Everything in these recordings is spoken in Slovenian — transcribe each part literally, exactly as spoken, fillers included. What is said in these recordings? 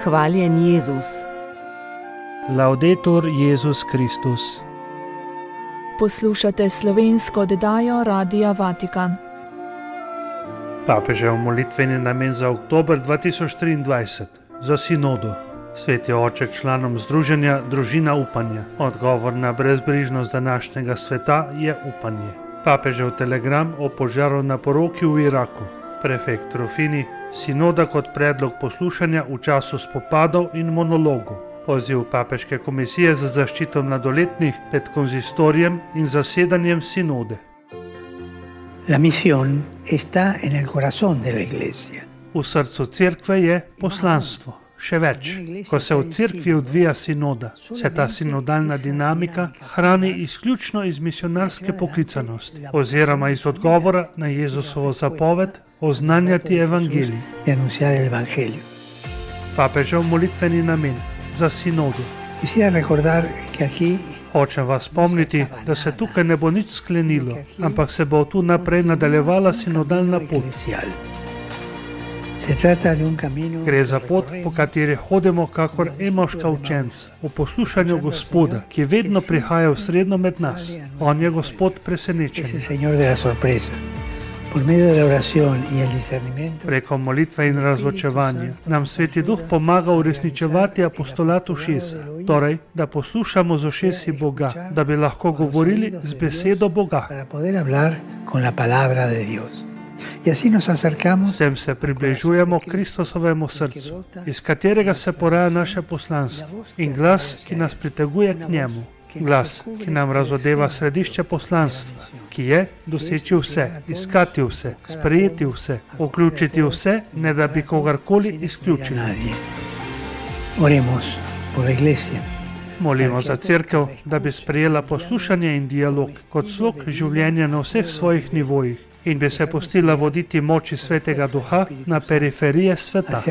Hvaljen Jezus. Laudetur Jezus Kristus. Poslušate slovensko oddajo Radia Vatikan. Papežev molitveni namen za oktober dva tisoč triindvajset. Za sinodo. Sveti oče članom združenja Družina upanja. Odgovor na brezbrižnost današnjega sveta je upanje. Papežev telegram o požaru na poroki v Iraku. Prefekt Rufini. Sinoda kot predlog poslušanja v času spopadov in monologov. Poziv Papeške komisije za zaščito mladoletnih pred konzistorijem in zasedanjem sinode. La misión está en el corazón de la iglesia. V srcu cerkve je poslanstvo. Še več, ko se v cerkvi odvija sinoda, se ta sinodalna dinamika hrani izključno iz misionarske poklicanosti oziroma iz odgovora na Jezusovo zapoved oznanjati evangelij. Papežev molitveni namen za sinodo. Hočem vas spomniti, da se tukaj ne bo nič sklenilo, ampak se bo tu naprej nadaljevala sinodalna pot. Gre za pot, po kateri hodimo kakor emaška učenca, v poslušanju Gospoda, ki vedno prihaja v sredno med nas. On je Gospod presenečenja. Preko molitve in razločevanja nam Sveti Duh pomaga uresničevati apostolat ušesa, torej, da poslušamo z ušesi Boga, da bi lahko govorili z besedo Boga. S tem se približujemo Kristusovemu srcu, iz katerega se poraja naše poslanstvo in glas, ki nas priteguje k njemu. Glas, ki nam razodeva središče poslanstva, ki je doseči vse, iskati vse, sprejeti vse, vključiti vse, ne da bi kogarkoli izključili. Molimo za cerkev, da bi sprejela poslušanje in dialog kot slog življenja na vseh svojih nivojih in bi se pustila voditi moči Svetega Duha na periferije sveta.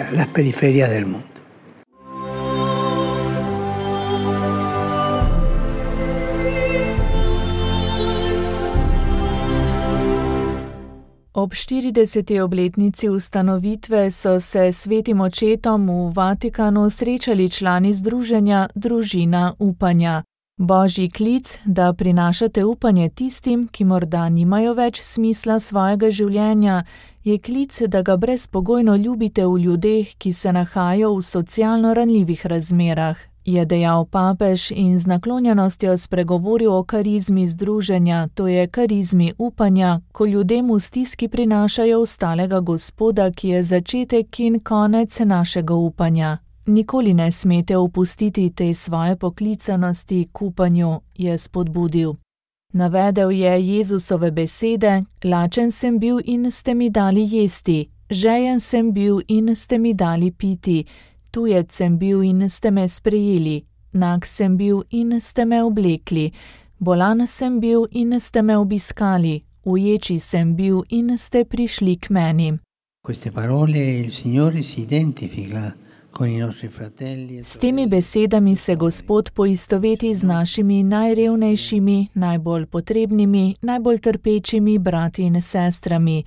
Ob štirideseti obletnici ustanovitve so se svetim očetom v Vatikanu srečali člani združenja Družina upanja. Božji klic, da prinašate upanje tistim, ki morda nimajo več smisla svojega življenja, je klic, da ga brezpogojno ljubite v ljudeh, ki se nahajajo v socialno ranljivih razmerah, je dejal papež in z naklonjenostjo spregovoril o karizmi združenja, to je karizmi upanja, ko ljudem v stiski prinašajo ostalega Gospoda, ki je začetek in konec našega upanja. Nikoli ne smete opustiti te svoje poklicanosti k upanju, je spodbudil. Navedel je Jezusove besede: lačen sem bil in ste mi dali jesti, žejen sem bil in ste mi dali piti, tujec sem bil in ste me sprejeli, nag sem bil in ste me oblekli, bolan sem bil in ste me obiskali, uječi sem bil in ste prišli k meni. Queste parole il Signore si identifica. S temi besedami se Gospod poistoveti z našimi najrevnejšimi, najbolj potrebnimi, najbolj trpečimi brati in sestrami,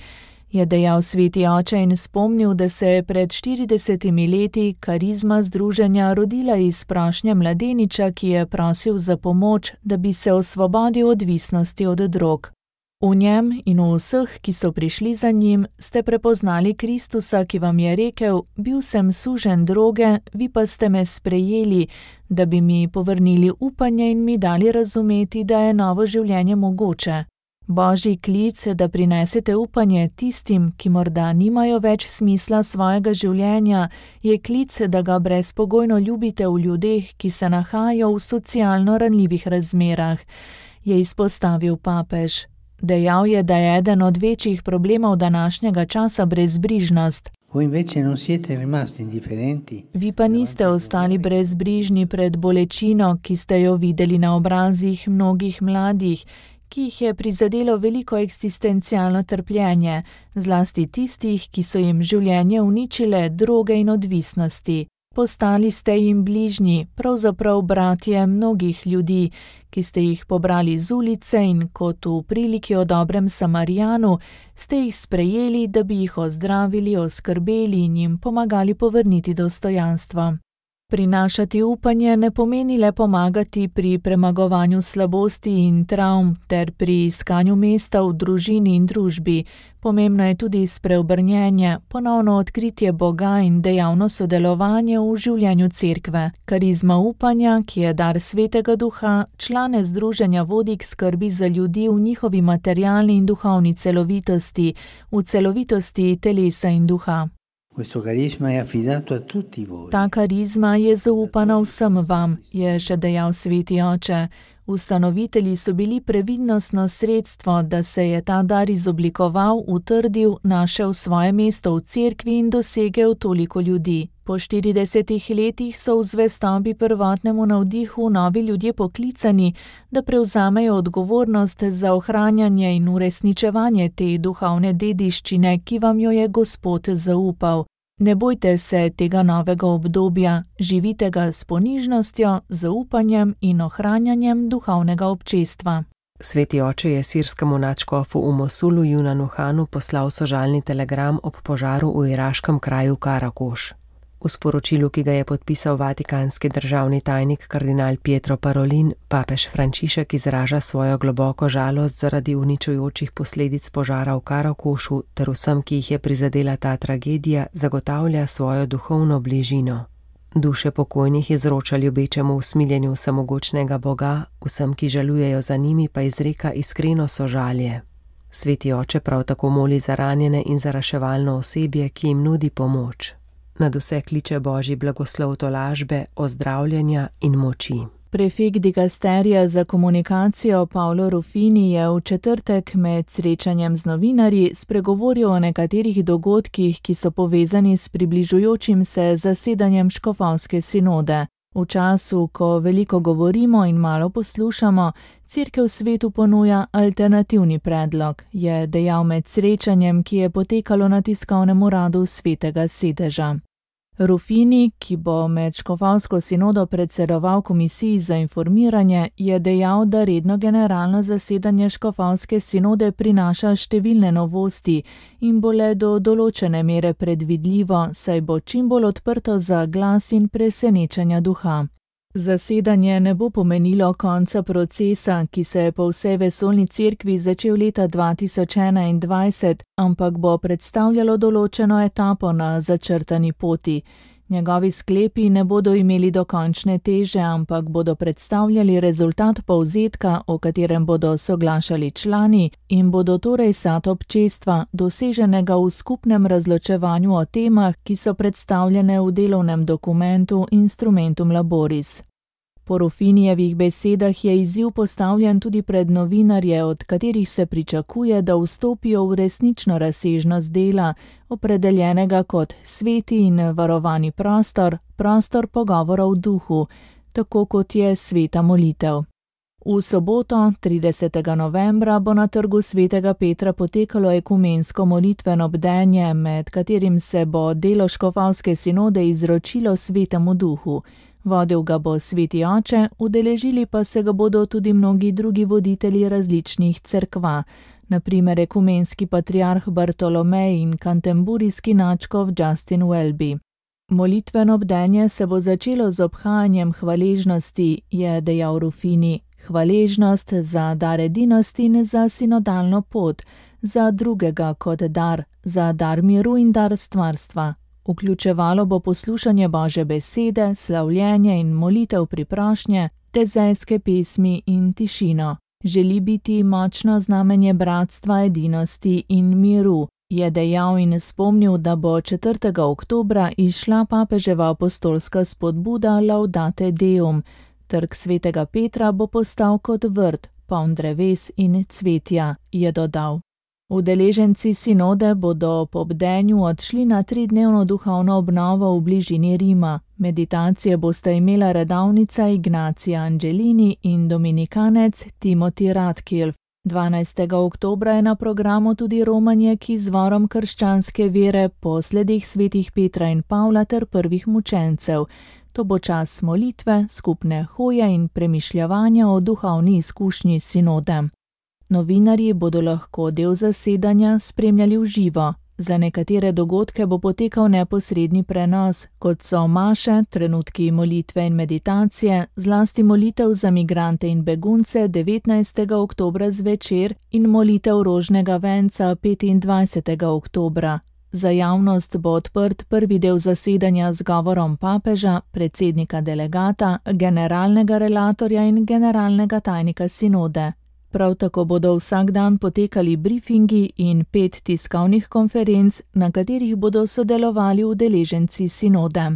je dejal sveti oče in spomnil, da se je pred štiridesetimi leti karizma združenja rodila iz prošnje mladeniča, ki je prosil za pomoč, da bi se osvobodil odvisnosti od drog. V njem in v vseh, ki so prišli za njim, ste prepoznali Kristusa, ki vam je rekel: bil sem suženj droge, vi pa ste me sprejeli, da bi mi povrnili upanje in mi dali razumeti, da je novo življenje mogoče. Božji klic, da prinesete upanje tistim, ki morda nimajo več smisla svojega življenja, je klic, da ga brezpogojno ljubite v ljudeh, ki se nahajajo v socialno ranljivih razmerah, je izpostavil papež. Dejal je, da je eden od večjih problemov današnjega časa brezbrižnost. Vi pa niste ostali brezbrižni pred bolečino, ki ste jo videli na obrazih mnogih mladih, ki jih je prizadelo veliko eksistencialno trpljenje, zlasti tistih, ki so jim življenje uničile droge in odvisnosti. Postali ste jim bližnji, pravzaprav bratje mnogih ljudi, ki ste jih pobrali z ulice in kot v priliki o dobrem Samarijanu ste jih sprejeli, da bi jih ozdravili, oskrbeli in jim pomagali povrniti dostojanstvo. Prinašati upanje ne pomeni le pomagati pri premagovanju slabosti in travm ter pri iskanju mesta v družini in družbi. Pomembno je tudi spreobrnjenje, ponovno odkritje Boga in dejavno sodelovanje v življenju cerkve. Karizma upanja, ki je dar Svetega Duha, člane združenja vodi k skrbi za ljudi v njihovi materialni in duhovni celovitosti, v celovitosti telesa in duha. Ta karizma je zaupana vsem vam, je še dejal Sveti Oče. Ustanovitelji so bili previdnostno sredstvo, da se je ta dar izoblikoval, utrdil, našel svoje mesto v cerkvi in dosegel toliko ljudi. Po štiridesetih letih so v zvestobi prvotnemu navdihu novi ljudje poklicani, da prevzamejo odgovornost za ohranjanje in uresničevanje te duhovne dediščine, ki vam jo je Gospod zaupal. Ne bojte se tega novega obdobja, živite ga s ponižnostjo, zaupanjem in ohranjanjem duhovnega občestva. Sveti oče je sirskemu nadškofu v Mosulu Junanu Hanu poslal sožalni telegram ob požaru v iraškem kraju Karakoš. V sporočilu, ki ga je podpisal vatikanski državni tajnik kardinal Pietro Parolin, papež Frančišek izraža svojo globoko žalost zaradi uničujočih posledic požara v Karakošu ter vsem, ki jih je prizadela ta tragedija, zagotavlja svojo duhovno bližino. Duše pokojnih izroča ljubečemu usmiljenju vsemogočnega Boga, vsem, ki žalujejo za njimi, pa izreka iskreno sožalje. Sveti oče prav tako moli za ranjene in za reševalno osebje, ki jim nudi pomoč. Nad vse kliče Božji blagoslov tolažbe, ozdravljenja in moči. Prefekt dikasterija za komunikacijo Paolo Ruffini je v četrtek med srečanjem z novinarji spregovoril o nekaterih dogodkih, ki so povezani s približujočim se zasedanjem škofovske sinode. V času, ko veliko govorimo in malo poslušamo, Cerkev svetu ponuja alternativni predlog, je dejal med srečanjem, ki je potekalo na tiskovnem uradu Svetega sedeža. Ruffini, ki bo med škofovsko sinodo predsedoval komisiji za informiranje, je dejal, da redno generalno zasedanje škofovske sinode prinaša številne novosti in bo le do določene mere predvidljivo, saj bo čim bolj odprto za glas in presenečenja duha. Zasedanje ne bo pomenilo konca procesa, ki se je po vsej vesoljni cerkvi začel leta dva tisoč enaindvajset, ampak bo predstavljalo določeno etapo na začrtani poti. Njegovi sklepi ne bodo imeli dokončne teže, ampak bodo predstavljali rezultat povzetka, o katerem bodo soglašali člani in bodo torej sad občestva, doseženega v skupnem razločevanju o temah, ki so predstavljene v delovnem dokumentu Instrumentum Laboris. Po Ruffinijevih besedah je izziv postavljen tudi pred novinarje, od katerih se pričakuje, da vstopijo v resnično razsežnost dela, opredeljenega kot sveti in varovani prostor, prostor pogovora v duhu, tako kot je sveta molitev. V soboto, tridesetega novembra, bo na trgu Svetega Petra potekalo ekumensko molitveno bdenje, med katerim se bo delo škofovske sinode izročilo Svetemu Duhu. Vodil ga bo Sveti Oče, udeležili pa se ga bodo tudi mnogi drugi voditelji različnih cerkva, na primer ekumenski patriarh Bartolomej in kantemburijski nadškof Justin Welby. Molitveno bdenje se bo začelo z obhajanjem hvaležnosti, je dejal Ruffini. Hvaležnost za dar edinosti in za sinodalno pot, za drugega kot dar, za dar miru in dar stvarstva. Vključevalo bo poslušanje Božje besede, slavljenje in molitev priprošnje, tezejske pesmi in tišino. Želi biti močno znamenje bratstva, edinosti in miru, je dejal in spomnil, da bo četrtega oktobra izšla papeževa apostolska spodbuda Laudate Deum. Trg Svetega Petra bo postal kot vrt, poln dreves in cvetja, je dodal. Udeleženci sinode bodo po bdenju odšli na tridnevno duhovno obnovo v bližini Rima. Meditacije bosta imela redavnica Ignacija Angelini in dominikanec Timothy Radcliffe. dvanajstega oktobra je na programu tudi romanje k izvorom krščanske vere po sledih svetih Petra in Pavla ter prvih mučencev. To bo čas molitve, skupne hoje in premišljevanja o duhovni izkušnji sinode. Novinarji bodo lahko del zasedanja spremljali v živo. Za nekatere dogodke bo potekal neposredni prenos, kot so maše, trenutki molitve in meditacije, zlasti molitev za migrante in begunce devetnajstega oktobra zvečer in molitev rožnega venca petindvajsetega oktobra. Za javnost bo odprt prvi del zasedanja z govorom papeža, predsednika delegata, generalnega relatorja in generalnega tajnika sinode. Prav tako bodo vsak dan potekali briefingi in pet tiskovnih konferenc, na katerih bodo sodelovali udeleženci sinode.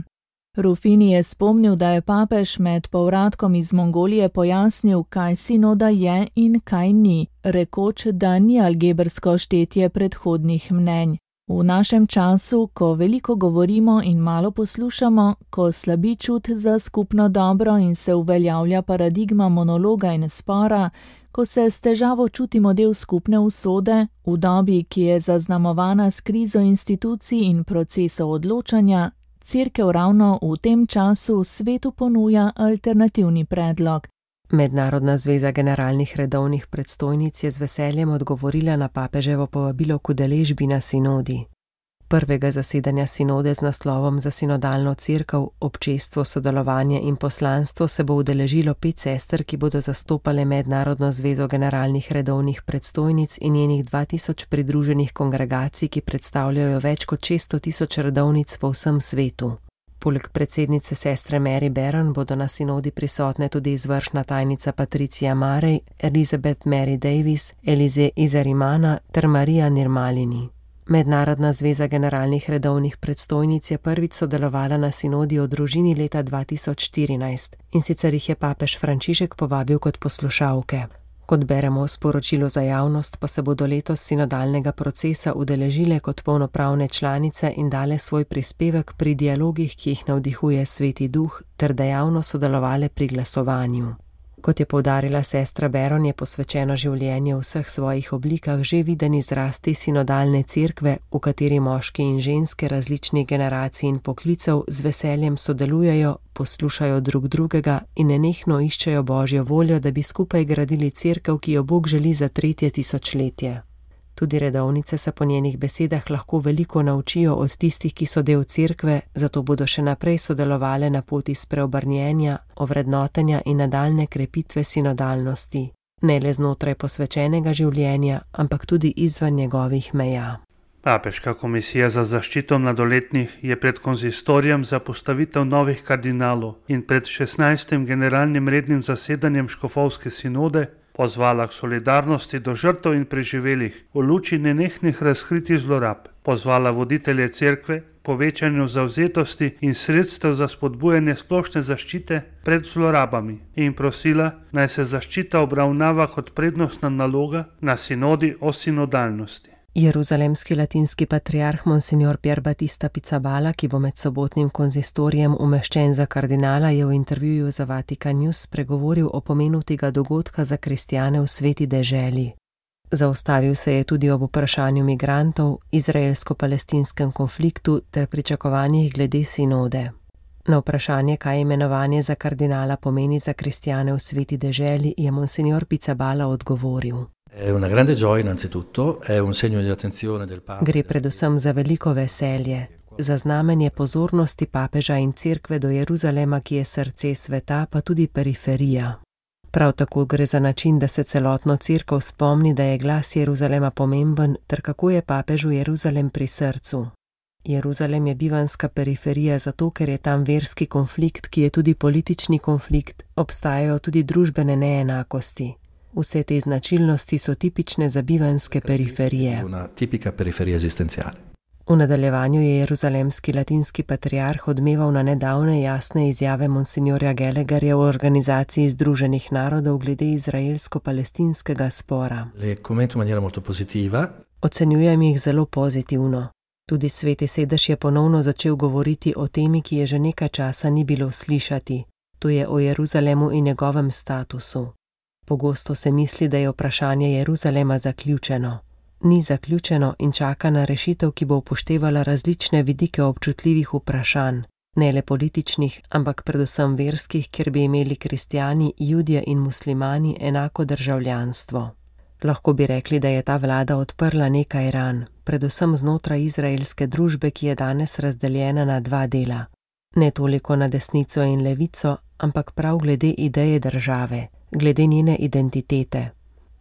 Rufini je spomnil, da je papež med povratkom iz Mongolije pojasnil, kaj sinoda je in kaj ni, rekoč, da ni algebrsko štetje predhodnih mnenj. V našem času, ko veliko govorimo in malo poslušamo, ko slabi čut za skupno dobro in se uveljavlja paradigma monologa in spora, ko se s težavo čutimo del skupne usode, v dobi, ki je zaznamovana s krizo institucij in procesov odločanja, Cerkev ravno v tem času svetu ponuja alternativni predlog. Mednarodna zveza generalnih redovnih predstojnic je z veseljem odgovorila na papeževo povabilo k udeležbi na sinodi. Prvega zasedanja sinode z naslovom Za sinodalno cerkev, občestvo, sodelovanje in poslanstvo se bo udeležilo pet sester, ki bodo zastopale Mednarodno zvezo generalnih redovnih predstojnic in njenih dva tisoč pridruženih kongregacij, ki predstavljajo več kot šeststo tisoč redovnic po vsem svetu. Poleg predsednice sestre Mary Barron bodo na sinodi prisotne tudi izvršna tajnica Patricia Marej, Elizabeth Mary Davis, Elize Izarimana ter Marija Nirmalini. Mednarodna zveza generalnih redovnih predstojnic je prvič sodelovala na sinodi o družini leta dva tisoč štirinajst in sicer jih je papež Frančišek povabil kot poslušalke. Kot beremo v sporočilu za javnost, pa se bodo letos sinodalnega procesa udeležile kot polnopravne članice in dale svoj prispevek pri dialogih, ki jih navdihuje Sveti Duh, ter dejavno sodelovale pri glasovanju. Kot je poudarila sestra Barron, je posvečeno življenje v vseh svojih oblikah že viden izraz te sinodalne cerkve, v kateri moški in ženske različnih generacij in poklicev z veseljem sodelujejo, poslušajo drug drugega in nenehno iščejo Božjo voljo, da bi skupaj gradili cerkev, ki jo Bog želi za tretje tisočletje. Tudi redovnice se po njenih besedah lahko veliko naučijo od tistih, ki so del cerkve, zato bodo še naprej sodelovale na poti spreobrnjenja, ovrednotenja in nadaljne krepitve sinodalnosti, ne le znotraj posvečenega življenja, ampak tudi izven njegovih meja. Papeška komisija za zaščito mladoletnih je pred konzistorijem za postavitev novih kardinalov in pred šestnajstim generalnim rednim zasedanjem škofovske sinode pozvala k solidarnosti do žrtev in preživelih v luči nenehnih razkritij zlorab, pozvala voditelje cerkve k povečanju zavzetosti in sredstev za spodbujanje splošne zaščite pred zlorabami in prosila, naj se zaščita obravnava kot prednostna naloga na sinodi o sinodalnosti. Jeruzalemski latinski patriarh Monsignor Pier Battista Pizzaballa, ki bo med sobotnim konzistorijem umeščen za kardinala, je v intervjuju za Vatikan News spregovoril o pomenu tega dogodka za kristjane v sveti deželi. Zaustavil se je tudi ob vprašanju migrantov, izraelsko-palestinskem konfliktu ter pričakovanjih glede sinode. Na vprašanje, kaj imenovanje za kardinala pomeni za kristjane v sveti deželi, je Monsignor Pizzaballa odgovoril. Gre predvsem za veliko veselje, za znamenje pozornosti papeža in cerkve do Jeruzalema, ki je srce sveta, pa tudi periferija. Prav tako gre za način, da se celotno cerkev spomni, da je glas Jeruzalema pomemben, ter kako je papežu Jeruzalem pri srcu. Jeruzalem je bivanska periferija zato, ker je tam verski konflikt, ki je tudi politični konflikt, obstajajo tudi družbene neenakosti. Vse te značilnosti so tipične za bivanske periferije. V nadaljevanju je jeruzalemski latinski patriarh odmeval na nedavne jasne izjave monsignorja Gallagherja v Organizaciji združenih narodov glede izraelsko-palestinskega spora. Ocenjujem jih zelo pozitivno. Tudi Sveti sedež je ponovno začel govoriti o temi, ki je že nekaj časa ni bilo slišati. To je o Jeruzalemu in njegovem statusu. Pogosto se misli, da je vprašanje Jeruzalema zaključeno. Ni zaključeno in čaka na rešitev, ki bo upoštevala različne vidike občutljivih vprašanj, ne le političnih, ampak predvsem verskih, kjer bi imeli kristjani, judje in muslimani enako državljanstvo. Lahko bi rekli, da je ta vlada odprla nekaj ran, predvsem znotraj izraelske družbe, ki je danes razdeljena na dva dela. Ne toliko na desnico in levico, ampak prav glede ideje države, glede njene identitete.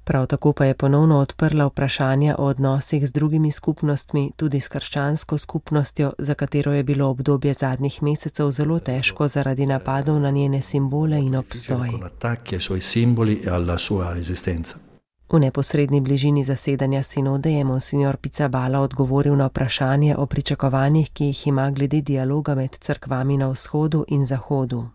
Prav tako pa je ponovno odprla vprašanja o odnosih z drugimi skupnostmi, tudi s krščansko skupnostjo, za katero je bilo obdobje zadnjih mesecev zelo težko zaradi napadov na njene simbole in obstoj. V neposredni bližini zasedanja sinode je monsignor Pizzaballa odgovoril na vprašanje o pričakovanjih, ki jih ima glede dialoga med cerkvami na vzhodu in zahodu.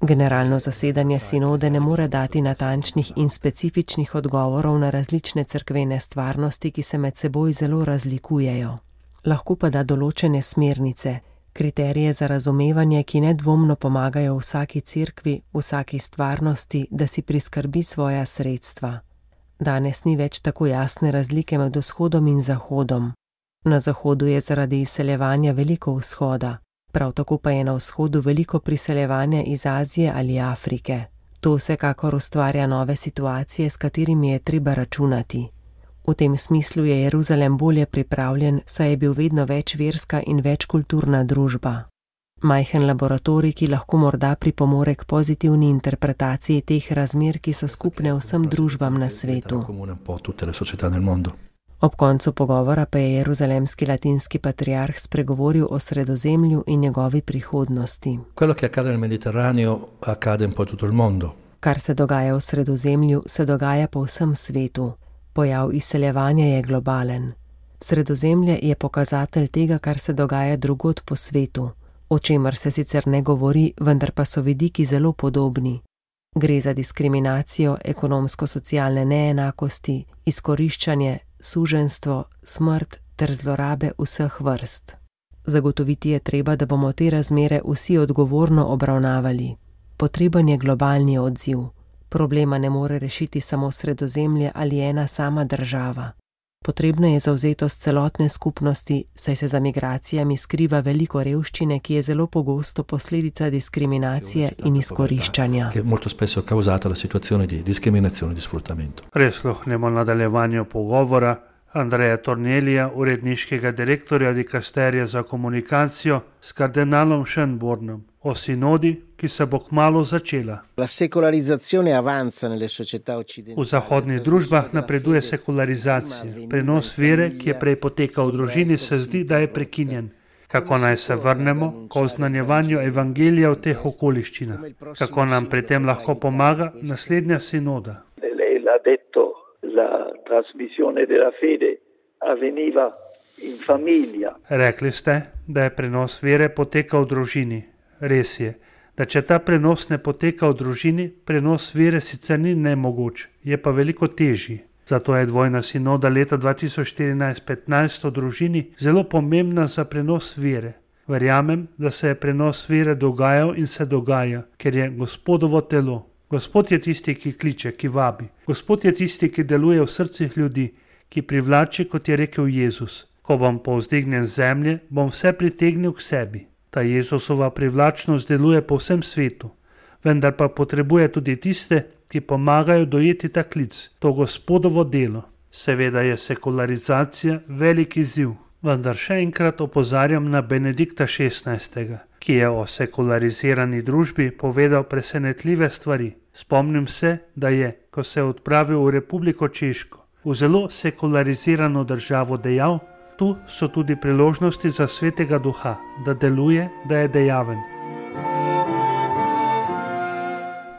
Generalno zasedanje sinode ne more dati natančnih in specifičnih odgovorov na različne cerkvene stvarnosti, ki se med seboj zelo razlikujejo. Lahko pa da določene smernice, kriterije za razumevanje, ki nedvomno pomagajo vsaki cerkvi, vsaki stvarnosti, da si priskrbi svoja sredstva. Danes ni več tako jasne razlike med vzhodom in zahodom. Na zahodu je zaradi izseljevanja veliko vzhoda, prav tako pa je na vzhodu veliko priseljevanja iz Azije ali Afrike. To vsekakor ustvarja nove situacije, s katerimi je treba računati. V tem smislu je Jeruzalem bolje pripravljen, saj je bil vedno več verska in večkulturna družba. Majhen laboratorij, ki lahko morda pripomore k pozitivni interpretaciji teh razmer, ki so skupne vsem družbam na svetu. Ob koncu pogovora pa je jeruzalemski latinski patriarh spregovoril o Sredozemlju in njegovi prihodnosti. Kar se dogaja v Sredozemlju, se dogaja po vsem svetu. Pojav izseljevanja je globalen. Sredozemlje je pokazatelj tega, kar se dogaja drugod po svetu, o čemer se sicer ne govori, vendar pa so vidiki zelo podobni. Gre za diskriminacijo, ekonomsko-socialne neenakosti, izkoriščanje, suženjstvo, smrt ter zlorabe vseh vrst. Zagotoviti je treba, da bomo te razmere vsi odgovorno obravnavali. Potreben je globalni odziv. Problema ne more rešiti samo Sredozemlje ali ena sama država. Potrebna je zavzetost celotne skupnosti, saj se za migracijami skriva veliko revščine, ki je zelo pogosto posledica diskriminacije in izkoriščanja. Prisluhnemo nadaljevanju pogovora Andreja Tornelija, uredniškega direktorja dikasterija za komunikacijo, s kardinalom Schönbornom o sinodi, ki se bo kmalu začela. V zahodnih družbah napreduje sekularizacija. Prenos vere, ki je prej potekal v družini, se zdi, da je prekinjen. Kako naj se vrnemo k oznanjevanju evangelija v teh okoliščinah? Kako nam pri tem lahko pomaga naslednja sinoda? La trasmissione della fede avveniva in famiglia. Rekli ste, da je prenos vere potekal v družini. Res je, da če ta prenos ne poteka v družini, prenos vere sicer ni nemogoč, je pa veliko težji. Zato je dvojna sinoda leta dva tisoč štirinajst petnajst o družini zelo pomembna za prenos vere. Verjamem, da se je prenos vere dogajal in se dogaja, ker je Gospodovo telo. Gospod je tisti, ki kliče, ki vabi. Gospod je tisti, ki deluje v srcih ljudi, ki privlači, kot je rekel Jezus. Ko bom povzdignjen z zemlje, bom vse pritegnil k sebi. Ta Jezusova privlačnost deluje po vsem svetu, vendar pa potrebuje tudi tiste, ki pomagajo dojeti ta klic, to Gospodovo delo. Seveda je sekularizacija velik izziv, vendar še enkrat opozarjam na Benedikta šestnajstega, ki je o sekularizirani družbi povedal presenetljive stvari. Spomnim se, da je, ko se je odpravil v Republiko Češko, v zelo sekularizirano državo dejal, tu so tudi priložnosti za svetega duha, da deluje, da je dejaven.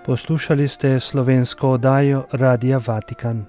Poslušali ste slovensko oddajo Radia Vatikan.